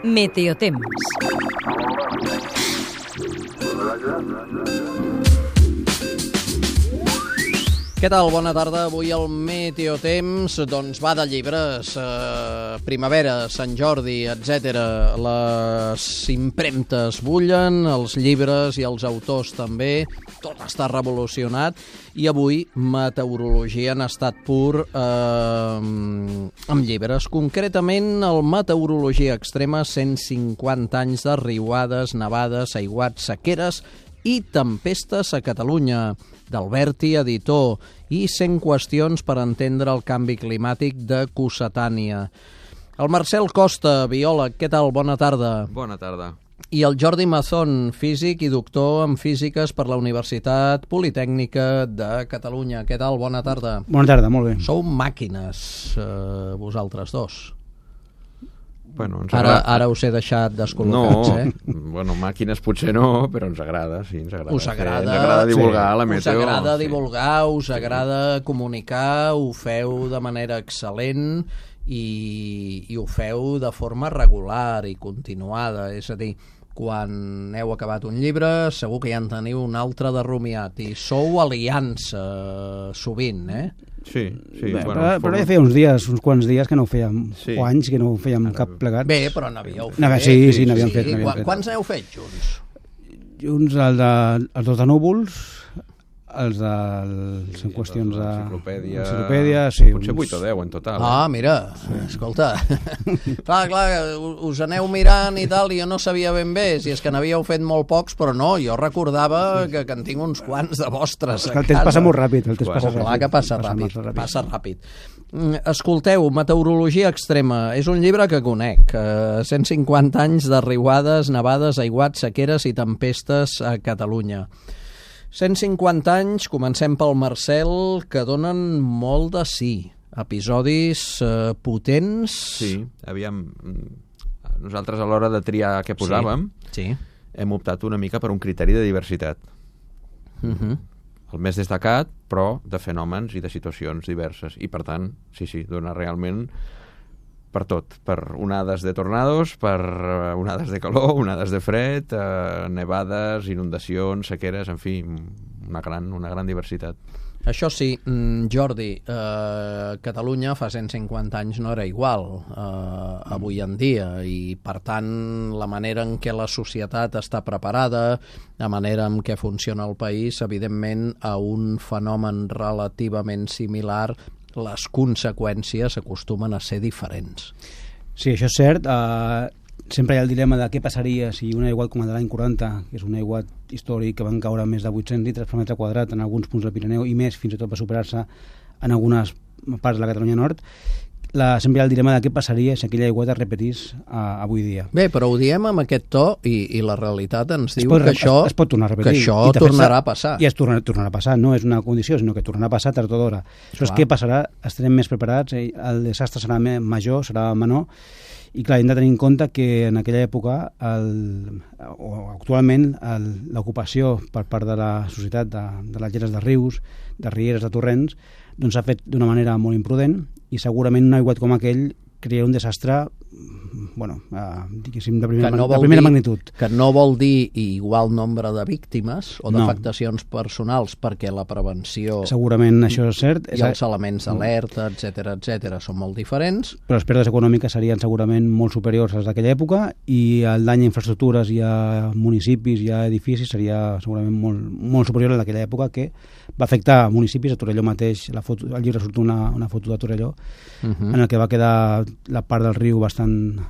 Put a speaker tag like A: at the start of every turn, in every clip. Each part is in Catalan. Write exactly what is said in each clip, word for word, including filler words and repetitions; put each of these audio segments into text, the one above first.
A: Meteotemps.
B: Què tal? Bona tarda. Avui el Meteotemps doncs, va de llibres, eh, primavera, Sant Jordi, etcètera. Les impremtes bullen, els llibres i els autors també. Tot està revolucionat. I avui meteorologia en estat pur eh, amb llibres. Concretament, el Meteorologia Extrema, cent cinquanta anys de riuades, nevades, aiguats, sequeres i tempestes a Catalunya, d'Alberti, editor, i cent qüestions per entendre el canvi climàtic de Cossetània. El Marcel Costa, biòleg, què tal? Bona tarda.
C: Bona tarda.
B: I el Jordi Mazón, físic i doctor en físiques per la Universitat Politècnica de Catalunya. Què tal? Bona tarda.
D: Bona tarda, molt bé.
B: Sou màquines, eh, vosaltres dos.
C: Bueno, ens
B: Ara,
C: agrada...
B: ara us he deixat descol·locats,
C: no,
B: eh?
C: Bueno, màquines potser no, però ens agrada, sí, ens agrada.
B: Us agrada,
C: fer, ens agrada divulgar
B: sí.
C: la meteo.
B: Us agrada
C: sí.
B: divulgar, us sí. agrada comunicar, ho feu de manera excel·lent i, i ho feu de forma regular i continuada, és a dir, quan heu acabat un llibre segur que ja en teniu un altre de rumiat i sou aliança sovint, eh?
C: Sí, sí.
D: Bé,
C: bueno,
D: però,
C: forma...
D: però ja feia uns dies, uns quants dies que no ho fèiem,
C: sí.
D: o anys que no ho fèiem Ara... cap plegat.
B: Bé, però n'havíeu fet.
D: No, sí, sí, sí n'havíem
B: sí.
D: fet.
B: Qu
D: fet.
B: Quants n'heu fet junts?
D: Junts el de, els dos de núvols, els de sí, qüestions de...
C: Enciclopèdia...
D: Enciclopèdia, sí.
C: Potser
D: uns...
C: vuit o deu en total.
B: Ah,
C: eh?
B: mira, sí. Escolta, clar, clar, us aneu mirant i tal, i jo no sabia ben bé si és que n'havíeu fet molt pocs, però no, jo recordava que, que en tinc uns quants de vostres a
D: casa. El temps passa molt ràpid, el temps passa ràpid.
B: Clar que passa ràpid, passa ràpid. Escolteu, Meteorologia Extrema, és un llibre que conec, eh, cent cinquanta anys de riuades, nevades, aiguats, sequeres i tempestes a Catalunya. cent cinquanta anys, comencem pel Marcel, que donen molt de sí. Episodis eh, potents...
C: Sí, aviam... Nosaltres a l'hora de triar què posàvem,
B: sí, sí.
C: hem optat una mica per un criteri de diversitat.
B: Uh-huh.
C: El més destacat, però de fenòmens i de situacions diverses. I, per tant, sí, sí, dona realment per tot. Per onades de tornados, per onades de calor, onades de fred, eh, nevades, inundacions, sequeres, en fi, una gran, una gran diversitat.
B: Això sí, Jordi, eh, Catalunya fa cent cinquanta anys no era igual eh, avui en dia i, per tant, la manera en què la societat està preparada, la manera en què funciona el país, evidentment, a un fenomen relativament similar, les conseqüències acostumen a ser diferents.
D: Sí, això és cert. Uh, sempre hi ha el dilema de què passaria si un aiguat com el de l'any quaranta, que és un aiguat històric que van caure més de vuit-cents litres per metre quadrat en alguns punts del Pirineu i més, fins i tot va superar-se en algunes parts de la Catalunya Nord, la, sempre hi ha el dilema de què passaria si aquella aiguat es repetís uh, avui dia.
B: Bé, però ho diem amb aquest to i, i la realitat ens diu
D: pot,
B: que això,
D: es, es pot tornar a repetir,
B: que això tornarà a passar.
D: I es tornarà, tornarà a passar, no és una condició, sinó que tornarà a passar tard o d'hora. Això és què passarà, estarem més preparats, el desastre serà major, serà menor, i clar, hem de tenir en compte que en aquella època, el, o actualment, l'ocupació per part de la societat de, de les lleres de rius, de rieres, de torrents, doncs s'ha fet d'una manera molt imprudent i segurament un aiguat com aquell crea un desastre bueno, eh, diguéssim, de primera,
B: no
D: de primera
B: dir,
D: magnitud.
B: Que no vol dir igual nombre de víctimes o
D: no.
B: d'afectacions personals, perquè la prevenció...
D: Segurament això és cert.
B: I els elements d'alerta, etcètera, etcètera, són molt diferents.
D: Però les pèrdues econòmiques serien segurament molt superiors a les d'aquella època i el dany a infraestructures i a municipis i a edificis seria segurament molt, molt superior a d'aquella època, que va afectar municipis. A Torelló mateix, la foto, al llibre surt una, una foto de Torelló, uh-huh. en el que va quedar la part del riu bastant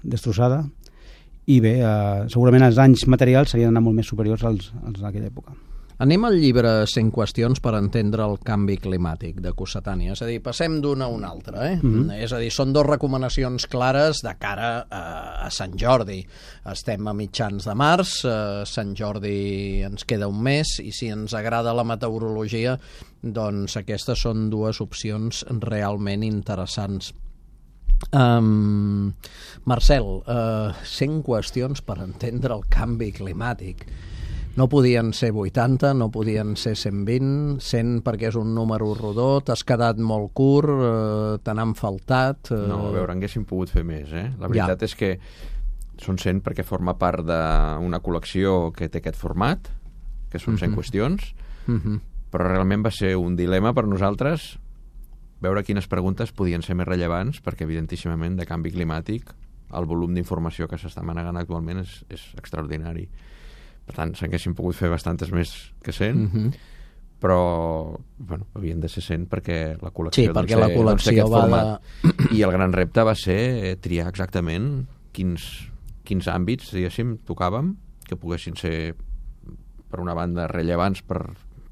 D: destrossada i bé, eh, segurament els danys materials serien anar molt més superiors als, als d'aquella època.
B: Anem al llibre cent qüestions per entendre el canvi climàtic de Cossetània, és a dir, passem d'una a una altra, eh? Mm-hmm. És a dir, són dues recomanacions clares de cara a, a Sant Jordi. Estem a mitjans de març, a Sant Jordi ens queda un mes, i si ens agrada la meteorologia, doncs aquestes són dues opcions realment interessants. Um, Marcel, uh, cent qüestions per entendre el canvi climàtic. No podien ser vuitanta, no podien ser cent vint, cent perquè és un número rodó, t'has quedat molt curt, eh, te n'han faltat... Eh...
C: No, a veure, haguéssim pogut fer més, eh? La veritat ja. és que són cent perquè forma part d'una col·lecció que té aquest format, que són cent uh-huh. qüestions, uh-huh. però realment va ser un dilema per nosaltres veure quines preguntes podien ser més rellevants, perquè evidentíssimament de canvi climàtic el volum d'informació que s'està manegant actualment és, és extraordinari. Per tant, s'haguessin pogut fer bastantes més que cent, uh-huh. però bueno, havien de ser cent perquè la col·lecció,
B: sí, perquè la col·lecció va de...
C: I el gran repte va ser triar exactament quins, quins àmbits, diguéssim, tocàvem, que poguessin ser, per una banda, rellevants per,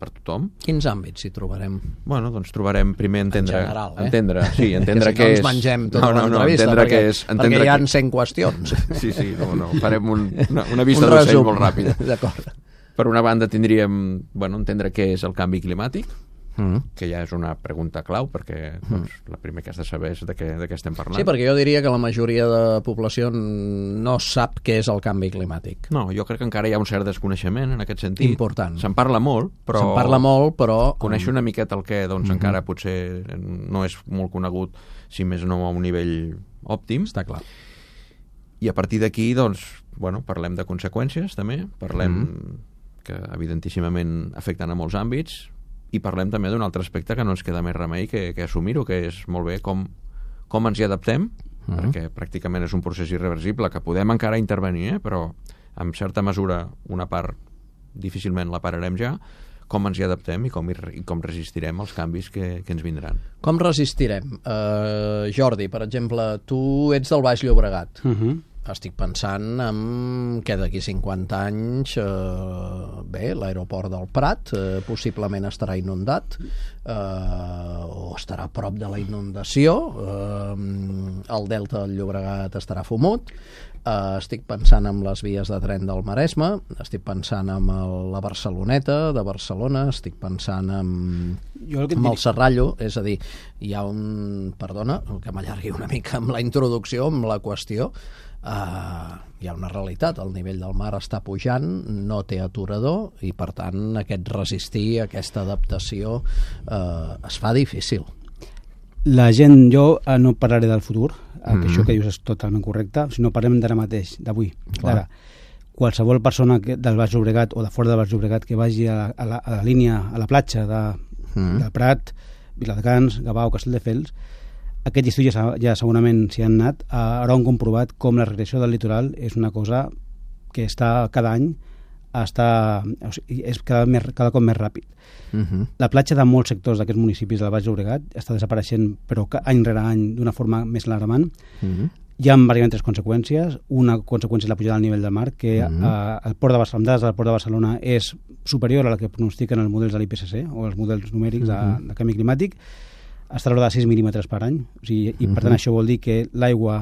C: per tothom.
B: Quins àmbits hi trobarem?
C: Bueno, doncs trobarem primer entendre...
B: En general, eh?
C: Entendre, sí, entendre
B: que si
C: què
B: no
C: és...
B: ens mengem tota
C: no, no, no,
B: l'entrevista, perquè, és, perquè hi ha que... cent qüestions.
C: Sí, sí, no, no, farem un, una, una vista un d'ocell molt ràpida.
B: D'acord.
C: Per una banda tindríem, bueno, entendre què és el canvi climàtic, mm. que ja és una pregunta clau, perquè doncs, mm. la primer que has de saber és de què, de què estem parlant.
B: Sí, perquè jo diria que la majoria de població no sap què és el canvi climàtic.
C: No, jo crec que encara hi ha un cert desconeixement en aquest sentit.
B: Important.
C: Se'n parla molt, però...
B: Se'n parla molt, però...
C: Conèixer una miqueta el què, doncs mm-hmm. encara potser no és molt conegut, si més no a un nivell òptim.
B: Està clar.
C: I a partir d'aquí, doncs, bueno, parlem de conseqüències, també. Parlem mm. que, evidentíssimament, afecten a molts àmbits, i parlem també d'un altre aspecte que no ens queda més remei que, que assumir-ho, que és molt bé com, com ens hi adaptem, uh-huh. perquè pràcticament és un procés irreversible, que podem encara intervenir, eh? Però en certa mesura una part difícilment la pararem ja, com ens hi adaptem i com, i com resistirem els canvis que, que ens vindran.
B: Com resistirem? Uh, Jordi, per exemple, tu ets del Baix Llobregat. Uh-huh. Estic pensant en que d'aquí cinquanta anys eh, bé, l'aeroport del Prat eh, possiblement estarà inundat eh, o estarà a prop de la inundació, eh, el delta del Llobregat estarà fumut, eh, estic pensant en les vies de tren del Maresme, estic pensant en el, la Barceloneta de Barcelona, estic pensant en, jo en el Serrallo, és a dir, hi ha un... Perdona, que m'allargui una mica amb la introducció, amb la qüestió. Uh, hi ha una realitat, el nivell del mar està pujant, no té aturador i per tant aquest resistir, aquesta adaptació uh, es fa difícil.
D: La gent, jo uh, no parlaré del futur, uh, mm. que això que dius és totalment correcte, sinó parlem d'ara mateix, d'avui, d'ara. Qualsevol persona que, del Baix Llobregat o de fora del Baix Llobregat que vagi a la, a la, a la línia, a la platja de, mm. de Prat, Viladecans, Gavà o Castelldefels, aquest estiu ja, ja segurament s'hi han anat, haurà comprovat com la regressió del litoral és una cosa que està cada any està, o sigui, és cada, més, cada cop més ràpid. Uh-huh. La platja de molts sectors d'aquests municipis del Baix Llobregat està desapareixent, però any rere any d'una forma més alarmant. Uh-huh. Hi ha diverses conseqüències. Una conseqüència és la pujada del nivell del mar, que uh-huh. eh, el port de Barcelona, dades del port de Barcelona és superior a la que pronostiquen els models de l'I P C C o els models numèrics uh-huh. de, de canvi climàtic. Està a l'hora de sis mil·límetres per any, o sigui, i per tant uh-huh. això vol dir que l'aigua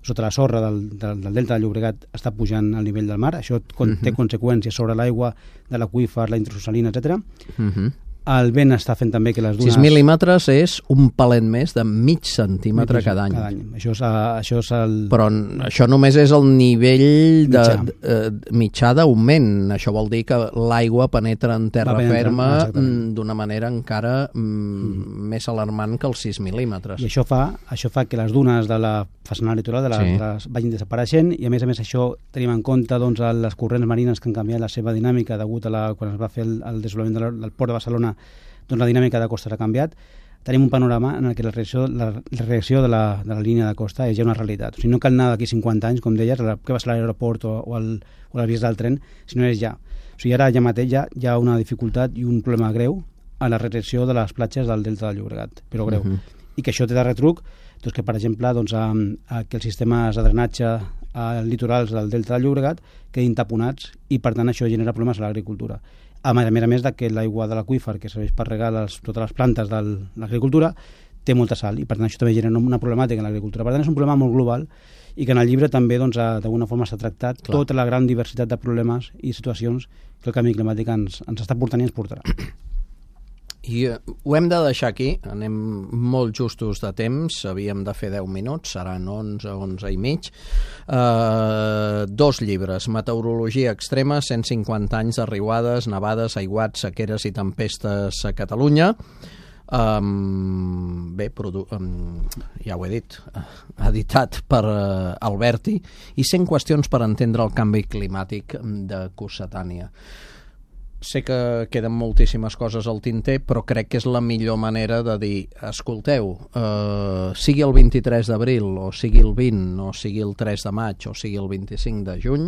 D: sota la sorra del, del, del delta del Llobregat està pujant al nivell del mar. Això uh-huh. té conseqüències sobre l'aigua de l'aqüífer, la intraoceànica, etcètera. Uh-huh. El vent està fent també que les dunes...
B: sis mil·límetres és un palet més de mig centímetre mig, cada any.
D: Cada any. Això és, això és el...
B: Però això només és el nivell de, mitjà, uh, mitjà d'augment. Això vol dir que l'aigua penetra en terra ferma d'una manera encara mm. més alarmant que els sis mil·límetres.
D: I això fa, això fa que les dunes de la façana litoral de les, sí. les vagin desapareixent, i a més a més això tenim en compte doncs, les corrents marines que han canviat la seva dinàmica degut a la, quan es va fer el, el desenvolupament del, del port de Barcelona, doncs la dinàmica de costa ha canviat. Tenim un panorama en què la reacció, la, la reacció de, la, de la línia de costa és ja una realitat. O sigui, no cal anar d'aquí cinquanta anys, com deies, que va ser l'aeroport o, o, el, o les vies del tren, sinó és ja. O sigui, ara ja mateix ja hi ha una dificultat i un problema greu a la reacció de les platges del delta del Llobregat, però greu. Uh-huh. I que això té de retruc doncs que, per exemple, doncs, a, a que els sistemes de drenatge als litorals del delta del Llobregat quedin taponats i, per tant, això genera problemes a l'agricultura. A més a més de que l'aigua de l'aqüífer, que serveix per regar les, totes les plantes de l'agricultura, té molta sal i, per tant, això també genera una problemàtica en l'agricultura. Per tant, és un problema molt global i que en el llibre també, doncs, d'alguna forma s'ha tractat Clar. tota la gran diversitat de problemes i situacions que el canvi climàtic ens, ens està portant i ens portarà.
B: I ho hem de deixar aquí, anem molt justos de temps, havíem de fer deu minuts, seran onze, onze i mig. Uh, dos llibres, Meteorologia extrema, cent cinquanta anys de riuades, nevades, aiguats, sequeres i tempestes a Catalunya. Um, bé, um, ja ho he dit, uh, editat per uh, Alberti, i cent qüestions per entendre el canvi climàtic de Cossetània. Sé que queden moltíssimes coses al tinter, però crec que és la millor manera de dir, escolteu, eh, sigui el vint-i-tres d'abril, o sigui el vint, o sigui el tres de maig, o sigui el vint-i-cinc de juny,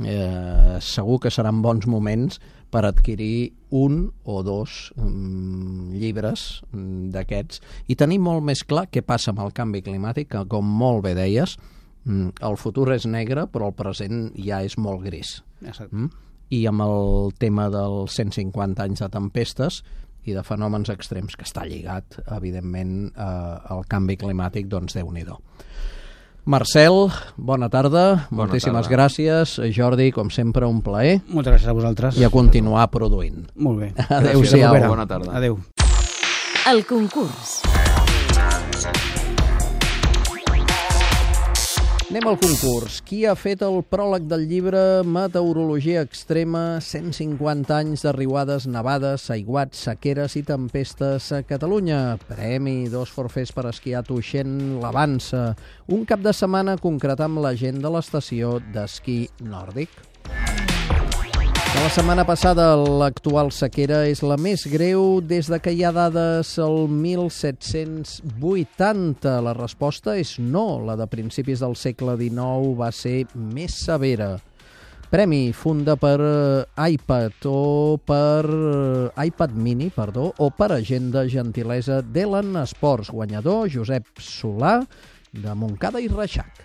B: eh, segur que seran bons moments per adquirir un o dos mm, llibres mm, d'aquests i tenir molt més clar què passa amb el canvi climàtic, que com molt bé deies, mm, el futur és negre, però el present ja és molt gris.
D: Exacte.
B: Mm? I amb el tema dels cent cinquanta anys de tempestes i de fenòmens extrems, que està lligat, evidentment, eh, al canvi climàtic, doncs Déu-n'hi-do. Marcel, bona tarda,
C: bona
B: moltíssimes
C: tarda.
B: gràcies. Jordi, com sempre, un plaer.
D: Moltes gràcies a vosaltres.
B: I a continuar produint.
D: Molt bé.
B: Adéu-siau.
C: Bona tarda.
D: Adéu.
A: El concurs.
B: Anem al concurs. Qui ha fet el pròleg del llibre Meteorologia extrema, cent cinquanta anys de riuades, nevades, aiguats, sequeres i tempestes a Catalunya? Premi, dos forfers per esquiar a Tuixén, l'Avança. Un cap de setmana concretar amb la gent de l'estació d'esquí nòrdic. La setmana passada l'actual sequera és la més greu des de que hi ha dades al mil set-cents vuitanta. La resposta és no. La de principis del segle dinou va ser més severa. Premi, funda per iPad o per iPad mini, perdó, o per agenda gentilesa d'Elen Esports. Guanyador, Josep Solà, de Montcada i Reixac.